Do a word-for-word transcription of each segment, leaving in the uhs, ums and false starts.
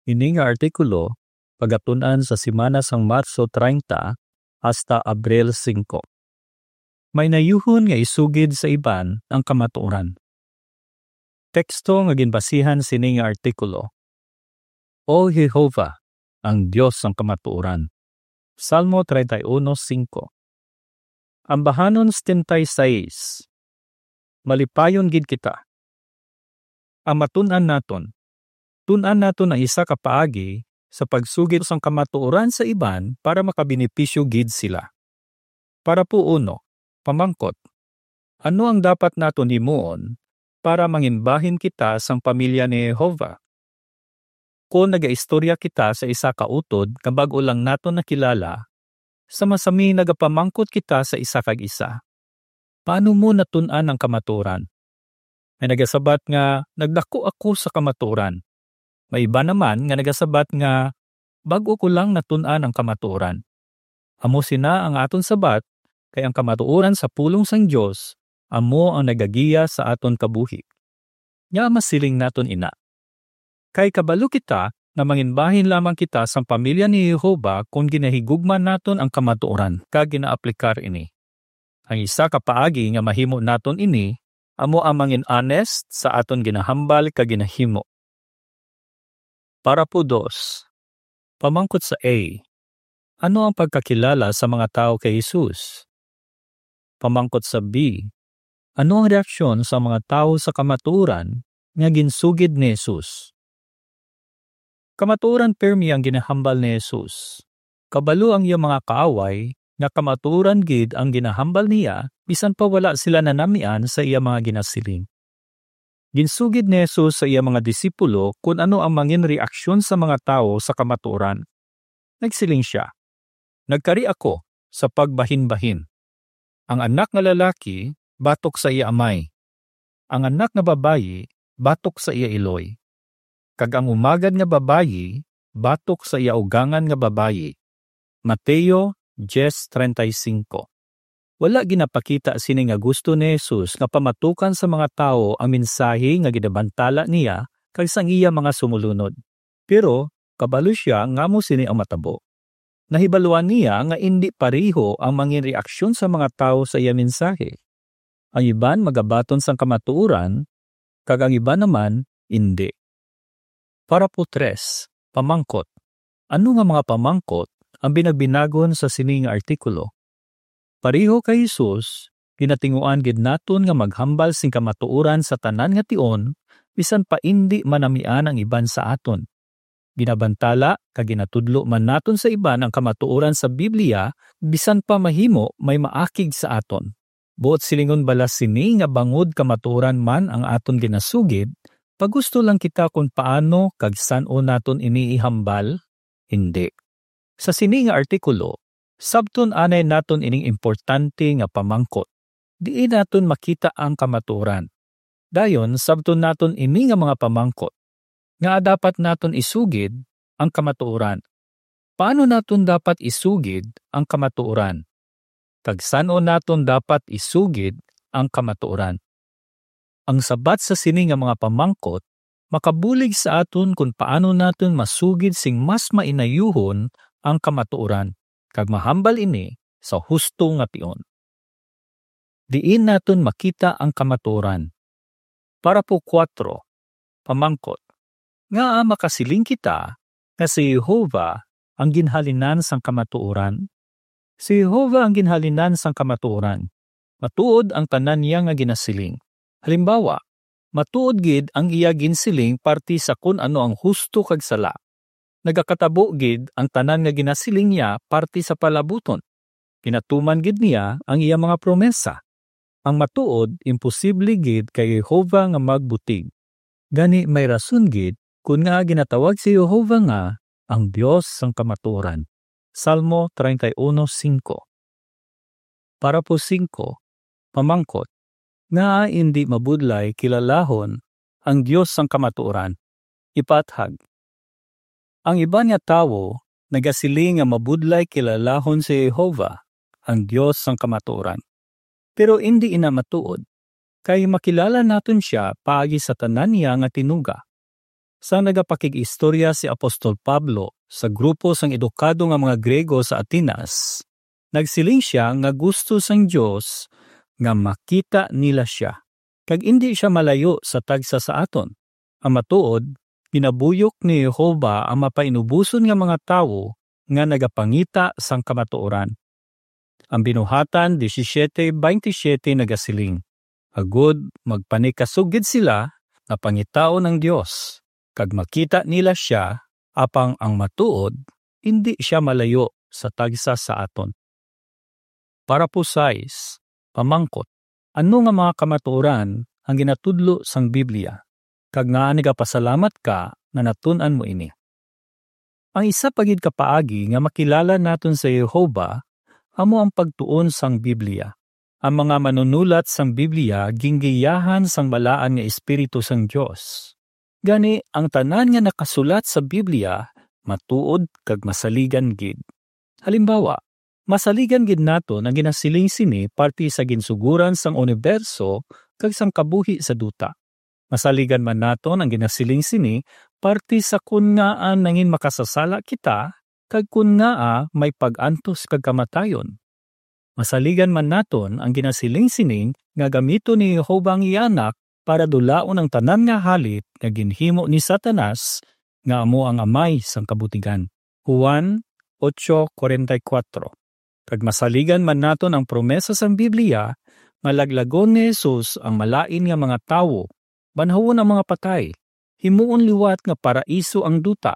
Ini nga artikulo pagatun-an sa semana sang Marso treinta hasta Abril singko. May nayuhon nga isugid sa iban ang kamatuoran. Teksto nga ginbasihan sini nga artikulo: O Jehovah, ang Dios sang kamatuoran. Salmo treinta y uno cinco. Ambahanon setenta y seis. Malipayon gid kita. Ang matun-an naton. Tun-an naton ang isa ka paagi sa pagsugid sang kamatuoran sa iban para makabenepisyo gid sila. Parapo uno, pamangkot: Ano ang dapat naton himuon para manginbahin kita sang pamilya ni Jehovah? Kon nagaistorya kita sa isa ka utod nga bag-o lang naton nakilala, sama-sami nagapamangkot kita sa isa kag isa, "Paano mo natun-an ang kamatuoran?" May nagasabat nga, "Nagdako ako sa kamatuoran." May iba naman nga nagasabat nga, "Bag-o ko lang natun-an ang kamatuoran." Amo sina ang aton sabat, kay ang kamatuoran sa pulong sang Dios amo ang nagagiya sa aton kabuhi. Ngaa masiling naton ina? Kay kabalo kita nga manginbahin lamang kita sang pamilya ni Jehovah kon ginahigugma naton ang kamatuoran kag ginaaplikar ini. Ang isa ka paagi nga mahimo naton ini amo ang mangin-honest sa aton ginahambal kag ginahimo. Parapo dos. Pamangkot sa A, ano ang pagkakilala sa mga tawo kay Jesus? Pamangkot sa B, ano ang reaksyon sa mga tawo sa kamatuoran nga ginsugid ni Jesus? Kamatuoran pirmi ang ginahambal ni Jesus. Kabalo ang iya mga kaaway nga kamatuoran gid ang ginahambal niya, bisan pa wala sila nanamian sa iya mga ginasiling. Ginsugid ni Jesus sa iya mga disipulo kon ano ang mangin reaksyon sa mga tawo sa kamatuoran. Nagsiling sia, "Nagkari ako sa pagbahinbahin. Ang anak nga lalaki batok sa iya amay, ang anak nga babayi batok sa iya iloy, kag ang umagad nga babayi batok sa iya ugangan nga babayi." Mateo diez treinta y cinco. Wala ginapakita sini nga gusto ni Jesus nga pamatukan sa mga tawo ang mensahe nga ginabantala niya kag sang iya mga sumulunod. Pero kabalo sia nga amo sini ang matabo. Nahibaluan niya nga indi pareho ang mangin reaksyon sa mga tawo sa iya mensahe. Ang iban magabaton sang kamatuoran, kag ang iban naman indi. Parapo tres, pamangkot. Ano nga mga pamangkot ang binagbinagon sa sini nga artikulo? Pareho kay Jesus, ginatinguan gid naton nga maghambal sing kamatuoran sa tanan nga tion, bisan pa indi manamian ang iban sa aton. Ginabantala kag ginatudlo man naton sa iban ang kamatuoran sa Biblia, bisan pa mahimo may maakig sa aton. Buot silingon bala sini nga bangod kamatuoran man ang aton ginasugid, pagusto lang kita kon paano kag san-o naton ini ihambal? Indi. Sa sini nga artikulo, sabton anay naton ining importante nga pamangkot. Diin naton makita ang kamatuoran? Dayon, sabton naton ini nga mga pamangkot. Ngaa dapat naton isugid ang kamatuoran? Paano naton dapat isugid ang kamatuoran? Kag san-o naton dapat isugid ang kamatuoran? Ang sabat sa sini nga mga pamangkot makabulig sa aton kon paano naton masugid sing mas mainayuhon ang kamatuoran, kag mahambal ini sa husto nga tion. Diin naton makita ang kamatuoran? Parapo kuwatro, pamangkot: Ngaa makasiling kita nga si Jehovah ang ginhalinan sang kamatuoran? Si Jehovah ang ginhalinan sang kamatuoran. Matuod ang tanan niya nga ginasiling. Halimbawa, matuod gid ang iya ginsiling parti sa kon ano ang husto kag sala. Nagakatabo gid ang tanan nga ginasiling niya parti sa palabuton. Ginatuman gid niya ang iya mga promesa. Ang matuod imposible gid kay Jehovah nga magbutig. Gani, may rason gid kon ngaa ginatawag si Jehovah nga ang Dios sang kamatuoran. Salmo treinta y uno cinco. Parapo singko, pamangkot: Ngaa indi mabudlay kilalahon ang Dios sang kamatuoran? Ipaathag. Ang iban nga tawo nagasiling nga mabudlay kilalahon si Jehovah, ang Dios sang kamatuoran. Pero indi ina matuod, kay makilala naton sia paagi sa tanan niya nga tinuga. Sang nagapakig-istorya si Apostol Pablo sa grupo sang edukado nga mga Griego sa Atenas, nagsiling sia nga gusto sang Dios nga makita nila sia, kag indi sia malayo sa tagsa sa aton. Ang matuod, ginabuyok ni Jehovah ang mapainuboson nga mga tawo nga nagapangita sang kamatuoran. Ang Binuhatan disisiete baynte siyete nagasiling, "Agod magpanikasog gid sila nga pangitaon ang Dios, kag makita nila sia, apang ang matuod, indi sia malayo sa tagsa sa aton." Parapo sais, pamangkot, ano nga mga kamatuoran ang ginatudlo sang Biblia, kag ngaa nagapasalamat ka nga natun-an mo ini? Ang isa pa gid ka paagi nga makilala naton sa Jehovah amo ang pagtuon sang Biblia. Ang mga manunulat sang Biblia gingiyahan sang balaan nga Espiritu sang Dios. Gani, ang tanan nga nakasulat sa Biblia matuod kag masaligan gid. Halimbawa, masaligan gid naton ang ginasiling sini parte sa ginsugoran sang uniberso kag sang kabuhi sa duta. Masaligan man naton ang ginasiling sini parte sa kon ngaa nangin makasasala kita kag kon ngaa may pag-antos kag kamatayon. Masaligan man naton ang ginasiling sini nga gamiton ni Jehovah ang iya Anak para dulaon ang tanan nga halit nga ginhimo ni Satanas, nga amo ang amay sang kabutigan. Juan ocho cuarenta y cuatro. Kag masaligan man naton ang promesa sang Biblia nga laglagon ni Jesus ang malain nga mga tawo, banhawon ang mga patay, himuon liwat nga paraiso ang duta,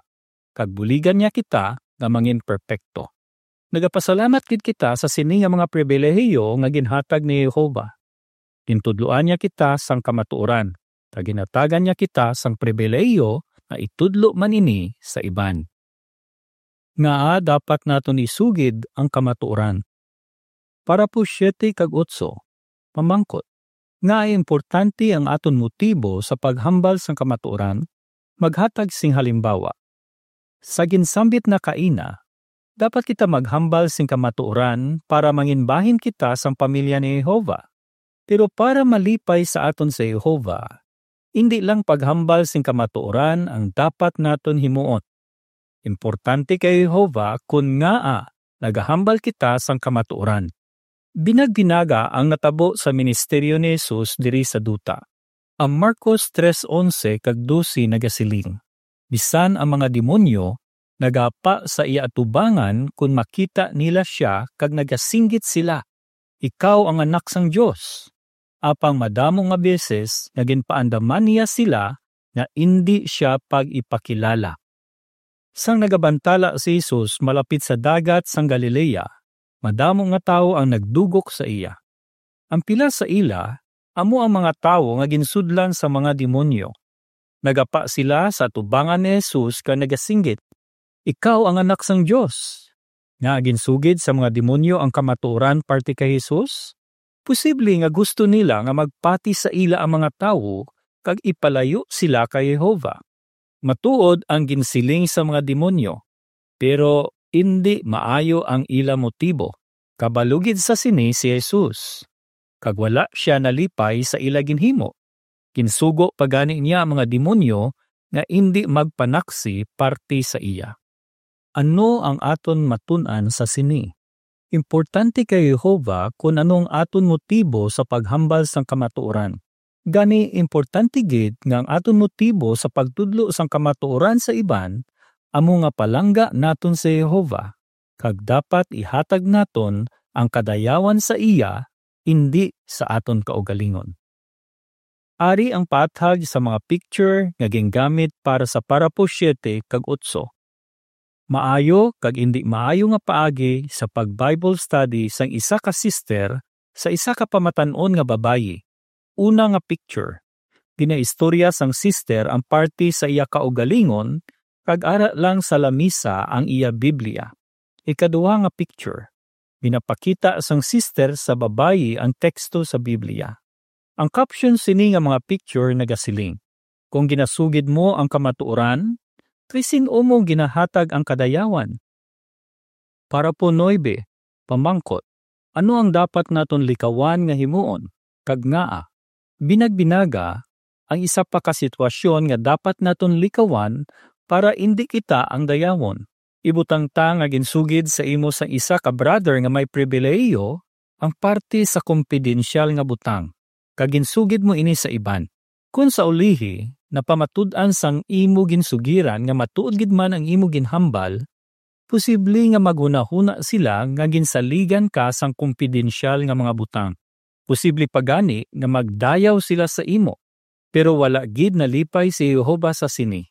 kag buligan niya kita nga mangin perpekto. Nagapasalamat gid kita sa sini nga mga pribilehiyo nga ginhatag ni Jehovah. Gintudloan niya kita sang kamatuoran, kag ginhatagan niya kita sang pribilehiyo nga itudlo man ini sa iban. Ngaa dapat naton isugid ang kamatuoran? Parapo siete kag otso, pamangkot, ngaa importante ang aton motibo sa paghambal sang kamatuoran? Maghatag sing halimbawa. Sa ginsambit na kaina, dapat kita maghambal sing kamatuoran para manginbahin kita sang pamilya ni Jehovah. Pero para malipay sa aton si Jehovah, indi lang paghambal sing kamatuoran ang dapat naton himuon. Importante kay Jehovah kon ngaa nagahambal kita sang kamatuoran. Binagbinaga ang natabo sa ministeryo ni Jesus diri sa duta. Ang Marcos tres onse kag dose nagasiling, "Bisan ang mga demonyo nagapa sa iya atubangan kon makita nila sia, kag nagasinggit sila, 'Ikaw ang Anak sang Dios.' Apang madamo nga beses nga ginpaandaman niya sila nga indi sia pag-ipakilala." Sang nagabantala si Jesus malapit sa dagat sang Galilea, madamo nga tawo ang nagdugok sa iya. Ang pila sa ila amo ang mga tawo nga ginsudlan sa mga demonyo. Nagapa sila sa atubangan ni Jesus kag nagasinggit, "Ikaw ang Anak sang Dios." Nga ginsugid sa mga demonyo ang kamatuoran parte kay Jesus? Posible nga gusto nila nga magpati sa ila ang mga tawo kag ipalayo sila kay Jehovah. Matuod ang ginsiling sa mga demonyo, pero indi maayo ang ila motibo. Kabalo gid sa sini si Jesus, kag wala sia nalipay sa ila ginhimo. Ginsugo pa gani niya ang mga demonyo nga indi magpanaksi parte sa iya. Ano ang aton matun-an sa sini? Importante kay Jehovah kon ano ang aton motibo sa paghambal sang kamatuoran. Gani, importante gid nga ang aton motibo sa pagtudlo sang kamatuoran sa iban amo nga palangga naton si Jehovah, kag dapat ihatag naton ang kadayawan sa iya, indi sa aton kaugalingon. Ari ang paathag sa mga picture nga gingamit para sa parapo siete kag otso. Maayo kag indi maayo nga paagi sa pag-Bible study sang isa ka sister sa isa ka pamatan-on nga babayi. Una nga picture, ginaistorya sang sister ang parte sa iya kaugalingon kag ara lang sa lamisa ang iya Biblia. Ikaduha nga picture, ginapakita sang sister sa babayi ang teksto sa Biblia. Ang caption sini nga mga picture nagasiling, "Kung ginasugid mo ang kamatuoran, kay sin-o mo ginahatag ang kadayawan?" Parapo nuebe, pamangkot, ano ang dapat naton likawan nga himuon, kag ngaa? Binagbinaga, ang isa pa ka sitwasyon nga dapat naton likawan para indi kita ang dayawon. Ibutang ta nga ginsugid sa imo sang isa ka brother nga may pribilehiyo ang parte sa kumpidensyal nga butang, kag ginsugid mo ini sa iban. Kon sa ulihi, napamatud-an sang imo ginsugiran nga matuod gid man ang imo ginhambal, posible nga maghunahuna sila nga ginsaligan ka sang kumpidensyal nga mga butang. Posible pa gani nga magdayaw sila sa imo, pero wala gid nalipay si Jehovah sa sini.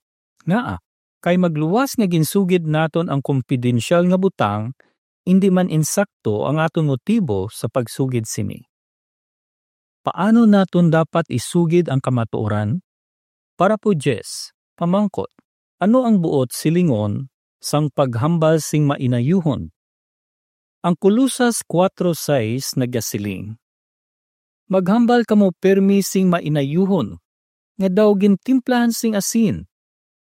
Ngaa? Kay magluwas nga ginsugid naton ang kumpidensyal nga butang, indi man insakto ang aton motibo sa pagsugid sini. Paano naton dapat isugid ang kamatuoran? Parapo diyes, pamangkot, ano ang buot silingon sang paghambal sing mainayuhon? Ang Colosas kuwatro sais nagasiling, "Maghambal kamo pirme sing mainayuhon, nga daw gintimplahan sing asin,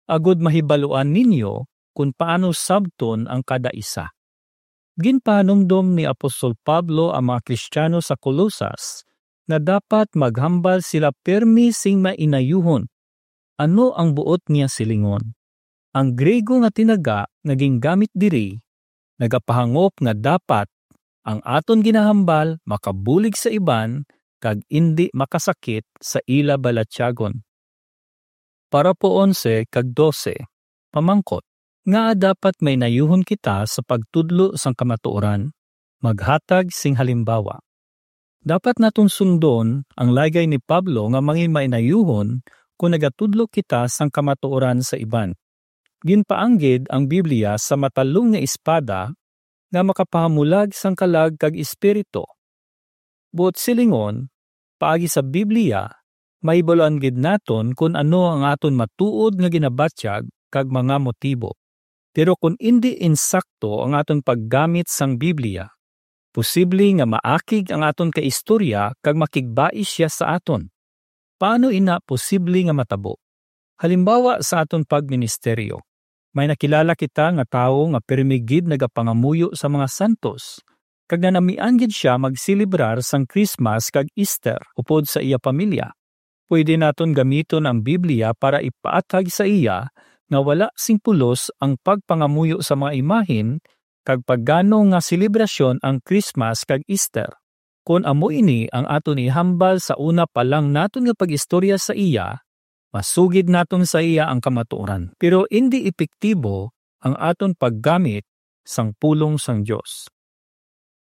agod mahibaluan ninyo kon paano sabton ang kada isa." Ginpahanumdom ni Apostol Pablo ang mga Kristiano sa Colosas nga dapat maghambal sila pirme sing mainayuhon. Ano ang buot niya silingon? Ang Griego nga tinaga nga gingamit diri nagapahangop nga dapat ang aton ginahambal makabulig sa iban kag indi makasakit sa ila balatyagon. Parapo onse kag dose, pamangkot, ngaa dapat mainayuhon kita sa pagtudlo sang kamatuoran? Maghatag sing halimbawa. Dapat naton sundon ang laygay ni Pablo nga mangin mainayuhon kon nagatudlo kita sang kamatuoran sa iban. Ginpaanggid ang Biblia sa matalom nga espada nga makapahamulag sang kalag kag espiritu. Buot silingon, paagi sa Biblia, mahibaluan gid naton kon ano ang aton matuod nga ginabatyag kag mga motibo. Pero kon indi insakto ang aton paggamit sang Biblia, posible nga maakig ang aton kaistorya kag makigbais sia sa aton. Paano ina posible nga matabo? Halimbawa sa aton pagministeryo, may nakilala kita nga tawo nga pirmi gid nagapangamuyo sa mga santos, kag nanamian gid sia magselebrar sang Christmas kag Easter upod sa iya pamilya. Pwede naton gamiton ang Biblia para ipaathag sa iya nga wala sing pulos ang pagpangamuyo sa mga imahen kag pagano nga selebrasyon ang Christmas kag Easter. Kon amo ini ang aton ihambal sa una pa lang naton nga pag-istorya sa iya, masugid naton sa iya ang kamatuoran. Pero indi epektibo ang aton paggamit sang pulong sang Dios.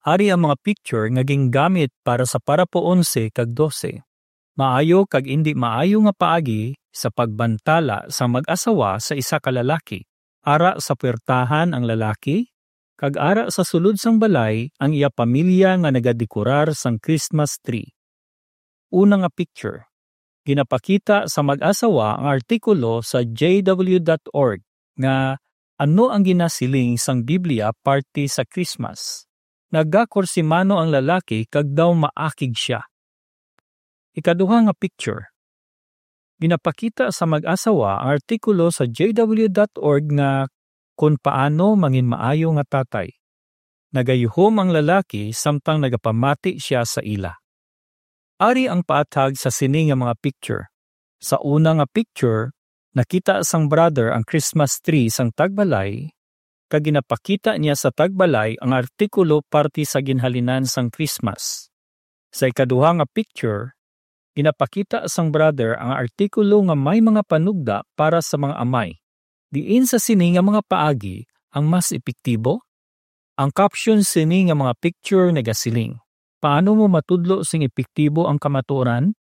Ari ang mga picture nga gingamit para sa parapo onse kag dose. Maayo kag indi maayo nga paagi sa pagbantala sang mag-asawa sa isa ka lalaki. Ara sa puwertahan ang lalaki, kag ara sa sulod sang balay ang iya pamilya nga nagadekorar sang Christmas tree. Una nga picture, ginapakita sa mag-asawa ang artikulo sa J W dot org nga ano ang ginasiling sang Biblia parte sa Christmas. Nagakursimano ang lalaki kag daw maakig sia. Ikaduha nga picture, ginapakita sa mag-asawa ang artikulo sa J W dot org nga kon paano mangin maayo nga tatay. Nagayuhom ang lalaki samtang nagapamati sia sa ila. Ari ang paathag sa sini nga mga picture. Sa una nga picture, nakita sang brother ang Christmas tree sang tagbalay, kag ginapakita niya sa tagbalay ang artikulo parte sa ginhalinan sang Christmas. Sa ikaduha nga picture, ginapakita sang brother ang artikulo nga may mga panugda para sa mga amay. Diin sa sini nga mga paagi ang mas epektibo? Ang caption sini nga mga picture nagasiling, "Paano mo matudlo sing epektibo ang kamatuoran?"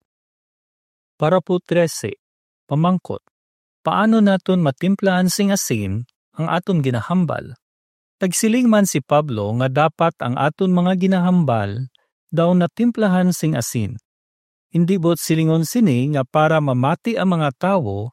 Parapo trese, pamangkot, paano naton matimplahan sing asin ang aton ginahambal? Nagsiling man si Pablo nga dapat ang aton mga ginahambal daw natimplahan sing asin. Indi buot silingon sini nga para mamati ang mga tawo,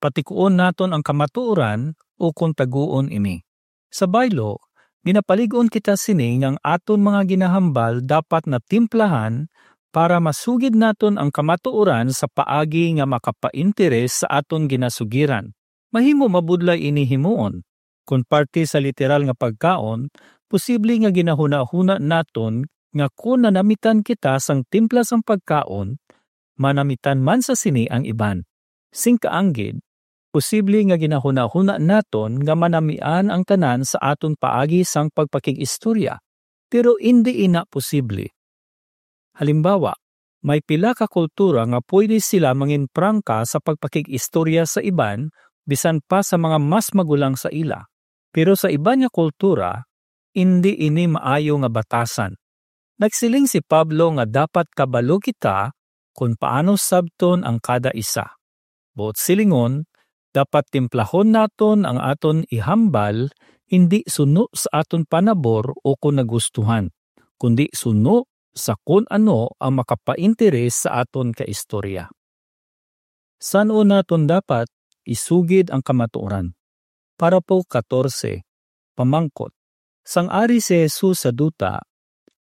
patikuon naton ang kamatuoran, o kon taguon ini. Sa baylo, ginapalig-on kita sini nga ang aton mga ginahambal dapat natimplahan para masugid naton ang kamatuoran sa paagi nga makapainteres sa aton ginasugiran. Mahimo mabudlay ini himuon. Kon parte sa literal nga pagkaon, posible nga ginahunahuna naton nga kon nanamitan kita sang timpla sang pagkaon, manamitan man sa sini ang iban. Sing kaanggid, posible nga ginahunahuna naton nga manamian ang tanan sa aton paagi sang pagpakig-istorya, pero indi ina posible. Halimbawa, may pila ka kultura nga pwede sila mangin prangka sa pagpakig-istorya sa iban, bisan pa sa mga mas magulang sa ila. Pero sa iban nga kultura, indi ini maayo nga batasan. Nagsiling si Pablo nga dapat kabalo kita kon paano sabton ang kada isa. Buot silingon, dapat timplahon naton ang aton ihambal, indi suno sa aton panabor o kon nagustuhan, kundi suno sa kon ano ang makapainteres sa aton kaistorya. San-o naton dapat isugid ang kamatuoran? Parapo katorse, pamangkot. Sang ari si Jesus sa duta,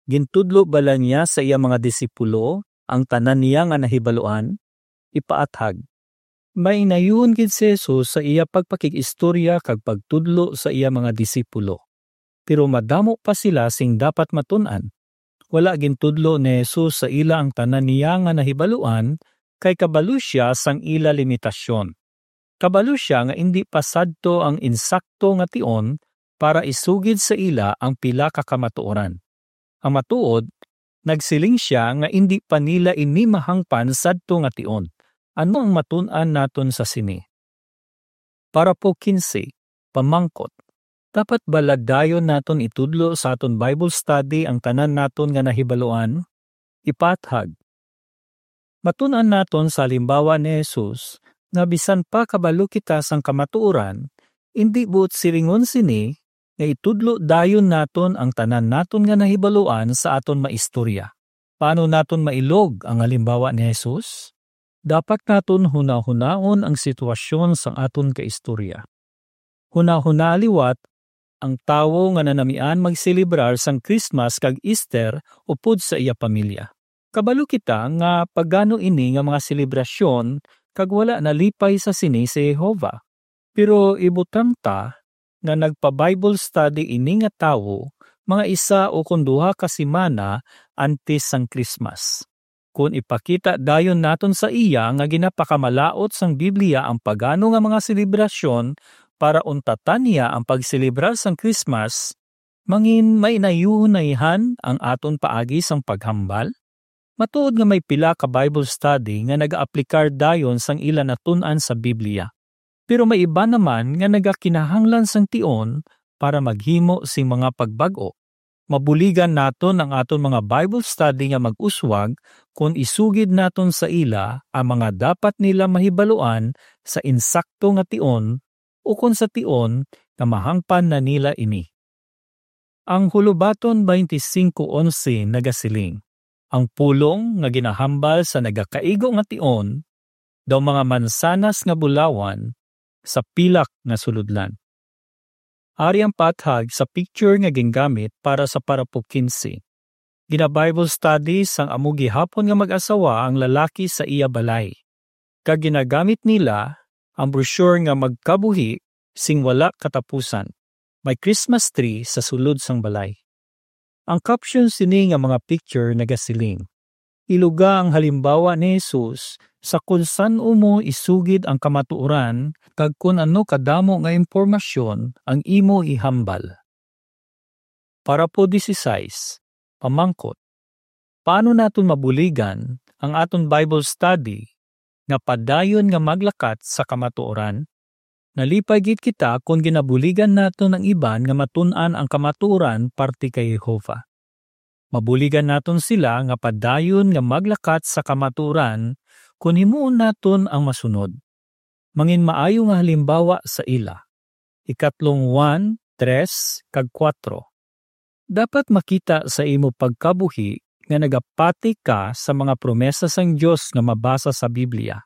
gintudlo bala niya sa iya mga disipulo ang tanan niya nga nahibaluan? Ipaathag. May inayuhon gid si Jesus sa iya pagpakig-istorya kag pagtudlo sa iya mga disipulo, pero madamo pa sila sing dapat matun-an. Wala gintudlo ni Jesus sa ila ang tanan niya nga nahibaluan, kay kabalo sia sang ila limitasyon. Kabalo sia nga indi pa sadto ang insakto nga tion para isugid sa ila ang pila ka kamatuoran. Ang matuod, nagsiling sia nga indi pa nila ini mahangpan sadto nga tion. Ano ang matun-an naton sa sini? Parapo kinse, pamangkot. Dapat bala dayon naton itudlo sa aton Bible study ang tanan naton nga nahibaluan? Ipaathag. Matun-an naton sa halimbawa ni Jesus nga bisan pa kabalo kita sang kamatuoran, indi buot silingon sini nga itudlo dayon naton ang tanan naton nga nahibaluan sa aton maistorya. Paano naton mailog ang halimbawa ni Jesus? Dapat naton hunahunaon ang sitwasyon sang aton kaistorya. Hunahuna liwat ang tawo nga nanamian magselebrar sang Christmas kag Easter upod sa iya pamilya. Kabalo kita nga pagano ini nga mga selebrasyon kag wala nalipay sa sini si Jehovah. Pero ibutang ta nga nagpa-Bible study ini nga tawo mga isa o kon duha ka semana antes sang Christmas. Kon ipakita dayon naton sa iya nga ginapakamalaut sang Biblia ang pagano nga mga selebrasyon para untatan niya ang pagselebrar sang Christmas, mangin mainayuhonayhan ang aton paagi sang paghambal? Matuod nga may pila ka Bible study nga nagaaplikar dayon sang ila natun-an sa Biblia. Pero may iban naman nga nagakinahanglan sang tion para maghimo sing mga pagbag-o. Mabuligan naton ang aton mga Bible study nga mag-uswag kon isugid naton sa ila ang mga dapat nila mahibaluan sa insakto nga tion o kon sa tion nga mahangpan na nila ini. Ang Hulubaton twenty-five onse nagasiling, "Ang pulong nga ginahambal sa nagakaigo nga tion daw mga mansanas nga bulawan sa pilak nga sulodlan." Ari ang paathag sa picture nga gingamit para sa parapo kinse. Gina-Bible study sang amo gihapon nga mag-asawa ang lalaki sa iya balay, kag ginagamit nila ang brochure nga Magkabuhi sing Wala Katapusan. May Christmas tree sa sulod sang balay. Ang caption sini nga mga picture nagasiling, "Iluga ang halimbawa ni Jesus sa kon san-o mo isugid ang kamatuoran kag kon ano kadamo nga impormasyon ang imo ihambal." Parapo dieciséis, pamangkot. Paano naton mabuligan ang aton Bible study nga padayon nga maglakat sa kamatuoran? Nalipay gid kita kon ginabuligan naton ang iban nga matun-an ang kamatuoran parte kay Jehovah. Mabuligan naton sila nga padayon nga maglakat sa kamatuoran kon himuon naton ang masunod. Mangin maayo nga halimbawa sa ila. Ikatlong Juan tres kag kuwatro. Dapat makita sa imo pagkabuhi nga nagapati ka sa mga promesa sang Dios nga mabasa sa Biblia.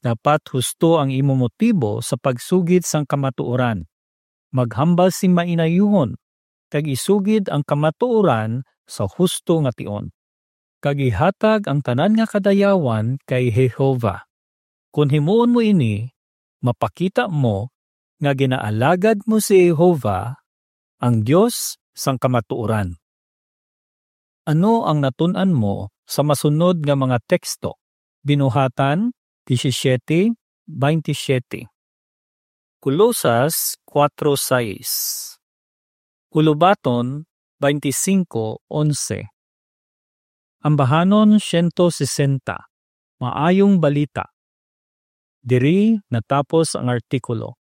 Dapat husto ang imo motibo sa pagsugid sang kamatuoran. Maghambal sing mainayuhon, kag isugid ang kamatuoran sa husto nga tion, kag ihatag ang tanan nga kadayawan kay Jehovah. Kon himuon mo ini, mapakita mo nga ginaalagad mo si Jehovah, ang Dios sang kamatuoran. Ano ang natun-an mo sa masunod nga mga teksto? Binuhatan disisiete baintisiete. Colosas kuwatro sais. Ulubaton baintisinko onse. Ambahanon siyento sesenta. Maayong balita. Diri natapos ang artikulo.